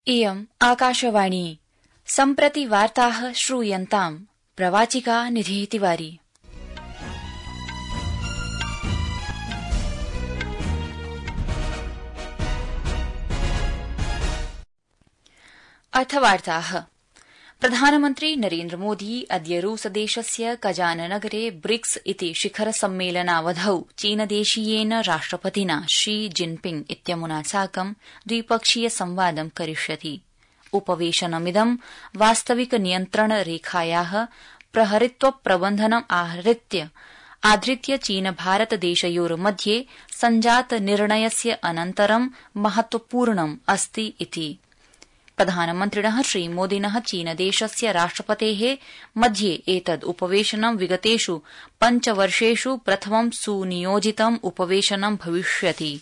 इयम् आकाशवाणी सम्प्रति वार्ताः श्रूयन्ताम् प्रवाचिका निधिः तिवारी। अर्थवार्ताः। प्रधानमन्त्री नरेन्द्रमोदी अद्य रूसदेशस्य कजाननगरे ब्रिक्स इति शिखर सम्मेलनावधौ चीनदेशीयेन राष्ट्रपतिना शी जिनपिंग इत्यमुना साकं द्विपक्षीय संवादं करिष्यति। उपवेशनमिदं वास्तविक नियन्त्रण रेखायाः प्रहरित्व प्रबन्धनम् आधृत्य चीन भारत देशयोर्मध्ये सञ्जात निर्णयस्य अनन्तरं महत्वपूर्णम् अस्ति इति। प्रधानमन्त्रिणः श्रीमोदिनः चीनदेशस्य राष्ट्रपतेः मध्ये एतद् उपवेशनं विगतेषु 5 वर्षेषु प्रथमं सुनियोजितम् उपवेशनं भविष्यति।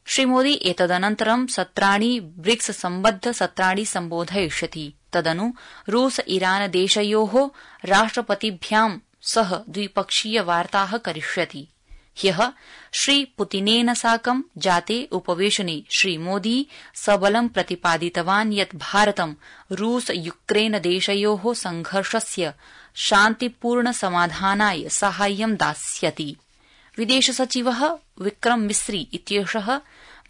श्रीमोदी एतदनन्तरं सत्राणि ब्रिक्स सम्बद्ध सत्राणि सम्बोधयिष्यति। तदनु रूस ईरान देशयोः राष्ट्रपतिभ्यां सह द्विपक्षीय वार्ताः करिष्यति। ह्यः श्रीपुतिनेन साकं जाते उपवेशने श्रीमोदी सबलं प्रतिपादितवान् यत् भारतं रूस यूक्रेन देशयोः संघर्षस्य शान्तिपूर्ण समाधानाय साहाय्यं दास्यति। विदेशसचिवः विक्रम मिस्री इत्येषः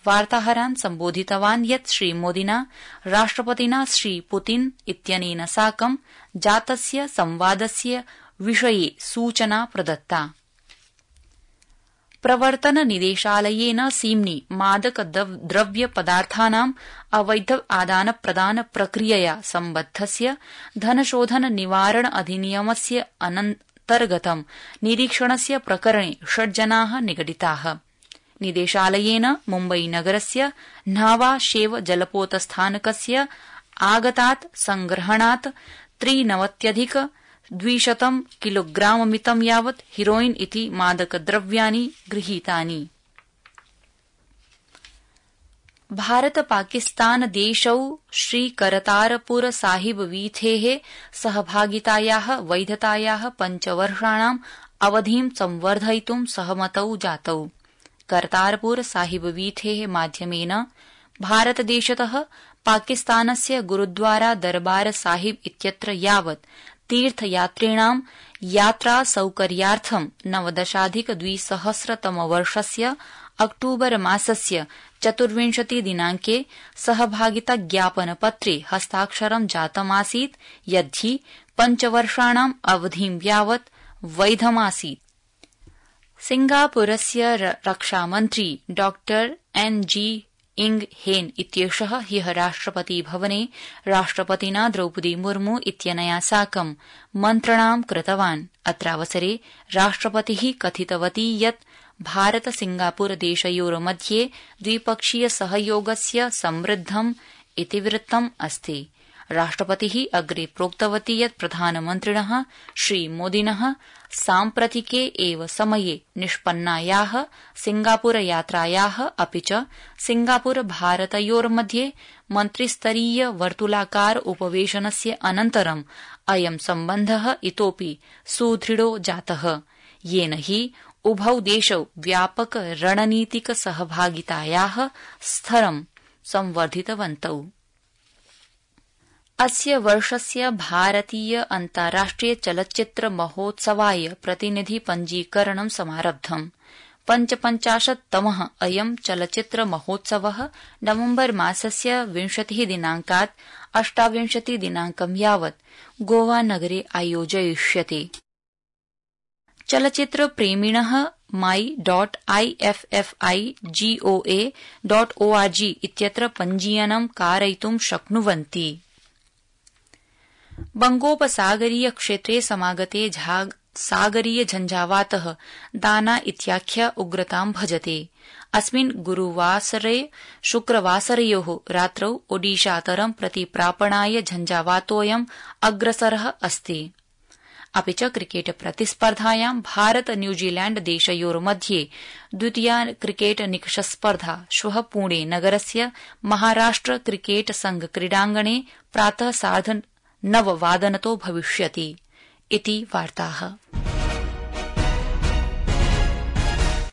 वार्ताहरान् सम्बोधितवान् यत् श्रीमोदिना राष्ट्रपतिना श्रीपुतिन इत्यनेन साकं जातस्य संवादस्य विषये सूचना प्रदत्ता। प्रवर्तन निदेशालयेन सीम्नि मादक द्रव्य पदार्थानां अवैध आदान प्रदान प्रक्रियया सम्बद्धस्य धनशोधन निवारण अधिनियमस्य अन्तर्गतं निरीक्षणस्य प्रकरणे 6 जनाः निगडिताः। निदेशालयेन मुम्बईनगरस्य न्हावा शेव जलपोतस्थानकस्य आगतात् संग्रहणात् 93,200 किलोग्राममितं यावत् हिरोइन इति मादकद्रव्याणि गृहीतानि। भारत पाकिस्तान देशौ श्रीकरतारपुर साहिब वीथेः सहभागितायाः वैधतायाः 5 वर्षाणाम् अवधिं संवर्धयितुं सहमतौ जातौ। करतारपुर साहिब वीथेः माध्यमेन भारतदेशतः पाकिस्तानस्य गुरुद्वारा दरबार साहिब इत्यत्र यावत् तीर्थयात्रिणां यात्रा सौकर्यार्थं 19,200 अक्टूबर मासस्य 24 दिनांके सहभागिता ज्ञापनपत्रे हस्ताक्षरं जातमासीत् यद्धि 5 वर्षाणाम् अवधिं यावत् वैधमासीत्। सिंगापुरस्य रक्षामन्त्री डॉ एन.जी. इंग हेन इत्येषः ह्यः राष्ट्रपति भवने राष्ट्रपतिना द्रौपदी मुर्मू इत्यनया साकं मन्त्रणां कृतवान्। अत्रावसरे राष्ट्रपतिः कथितवती यत् भारत सिंगापुर देशयोर्मध्ये द्विपक्षीय सहयोगस्य समृद्धम् इतिवृत्तम् अस्ति। राष्ट्रपतिः अग्रे प्रोक्तवती यत् प्रधानमन्त्रिणः श्रीमोदिनः साम्प्रतिके एव समये निष्पन्नायाः सिंगापुर यात्रायाः अपि च सिंगापुर भारतयोर्मध्ये मन्त्रिस्तरीय वर्तुलाकार उपवेशनस्य अनन्तरम् अयं सम्बन्धः इतोपि सुदृढो जातः, येन हि उभौ देशौ व्यापक रणनीतिक सहभागितायाः स्तरं संवर्धितवन्तौ। अस्य वर्षस्य भारतीय अन्ताराष्ट्रिय चलच्चित्र महोत्सवाय प्रतिनिधि पञ्जीकरणं समारब्धम्। 55तमः अयं चलच्चित्र महोत्सवः नवम्बर मासस्य 20 दिनांकात् 28 दिनांकं यावत् गोवा नगरे आयोजयिष्यते। चलच्चित्र प्रेमिणः my.iffigOA.org इत्यत्र पञ्जीयनं कारयितुं शक्नुवन्ति। बंगोपसागरीय क्षेत्रे समागते सागरीय झञ्झावातः दाना इत्याख्य उग्रतां भजते। अस्मिन् गुरुवासरे शुक्रवासरयोः रात्रौ ओडिशातरं प्रति प्रापणाय झञ्झावातोऽयं अग्रसरः अस्ति। अपि च क्रिकेट प्रतिस्पर्धायां भारत न्यूजीलैण्ड देशयोर्मध्ये द्वितीया क्रिकेट निकषस्पर्धा श्वः पुणे नगरस्य महाराष्ट्र क्रिकेट संघ क्रीडाङ्गणे प्रातः 9:30 भविष्यति इति वार्ताः।